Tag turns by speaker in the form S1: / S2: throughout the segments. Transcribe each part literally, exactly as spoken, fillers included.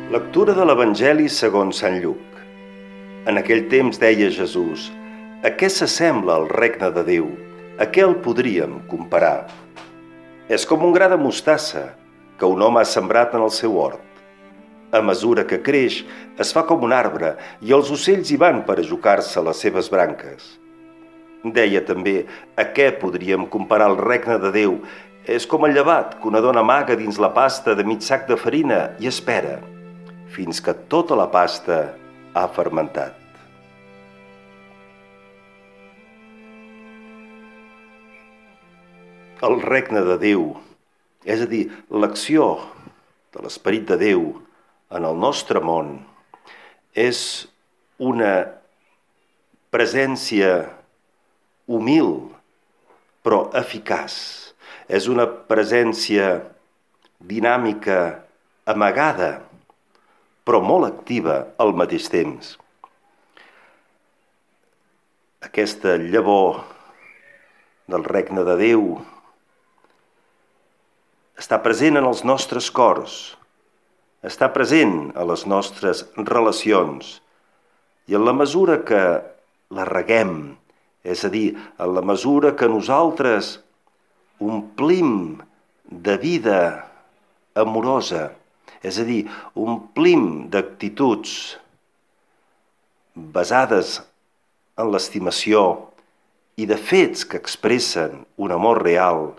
S1: Lectura de l'Evangeli segons Sant Lluc. En aquell temps deia Jesús: a què s'assembla el regne de Déu? A què el podríem comparar? És com un gra de mostassa que un home ha sembrat en el seu hort. A mesura que creix, es fa com un arbre i els ocells hi van per ajucar-se a les seves branques. Deia també: a què podríem comparar el regne de Déu? És com el llevat que una dona amaga dins la pasta de mig sac de farina i espera fins que tota la pasta ha fermentat. El regne de Déu, és a dir, l'acció de l'Esperit de Déu en el nostre món, és una presència humil però eficaç. És una presència dinàmica, amagada, però molt activa al mateix temps. Aquesta llavor del regne de Déu està present en els nostres cors, està present a les nostres relacions, i en la mesura que la reguem, és a dir, en la mesura que nosaltres omplim de vida amorosa, és a dir, omplim d'actituds basades en l'estimació i de fets que expressen un amor real,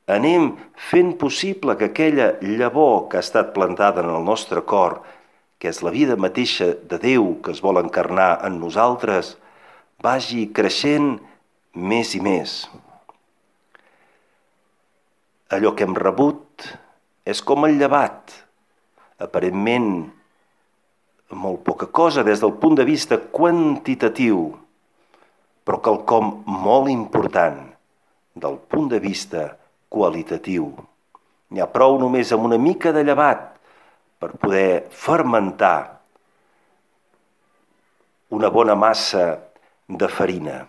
S1: anem fent possible que aquella llavor que ha estat plantada en el nostre cor, que és la vida mateixa de Déu que es vol encarnar en nosaltres, vagi creixent més i més. Allò que hem rebut és com el llevat, aparentment molt poca cosa des del punt de vista quantitatiu, però quelcom molt important del punt de vista qualitatiu. N'hi ha prou només amb una mica de llevat per poder fermentar una bona massa de farina.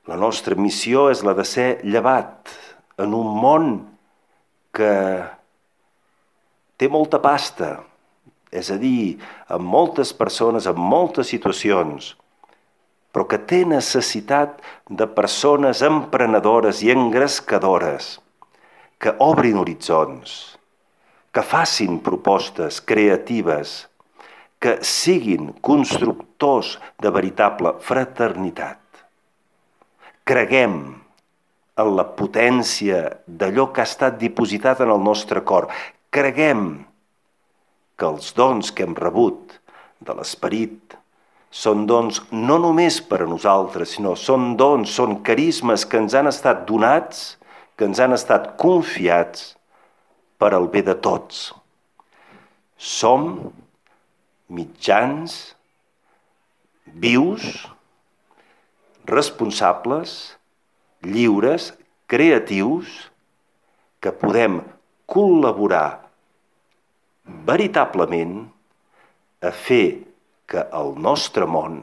S1: La nostra missió és la de ser llevat en un món que té molta pasta, és a dir, amb moltes persones, en moltes situacions, però que té necessitat de persones emprenedores i engrescadores, que obrin horitzons, que facin propostes creatives, que siguin constructors de veritable fraternitat. Creguem en la potència d'allò que ha estat dipositat en el nostre cor. Creguem que els dons que hem rebut de l'Esperit són dons no només per a nosaltres, sinó són dons, són carismes que ens han estat donats, que ens han estat confiats per al bé de tots. Som mitjans, vius, responsables, lliures, creatius, que podem col·laborar veritablement a fer que el nostre món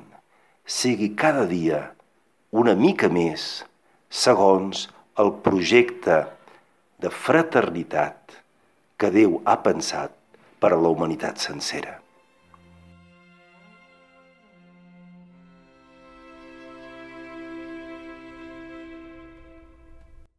S1: sigui cada dia una mica més segons el projecte de fraternitat que Déu ha pensat per a la humanitat sencera.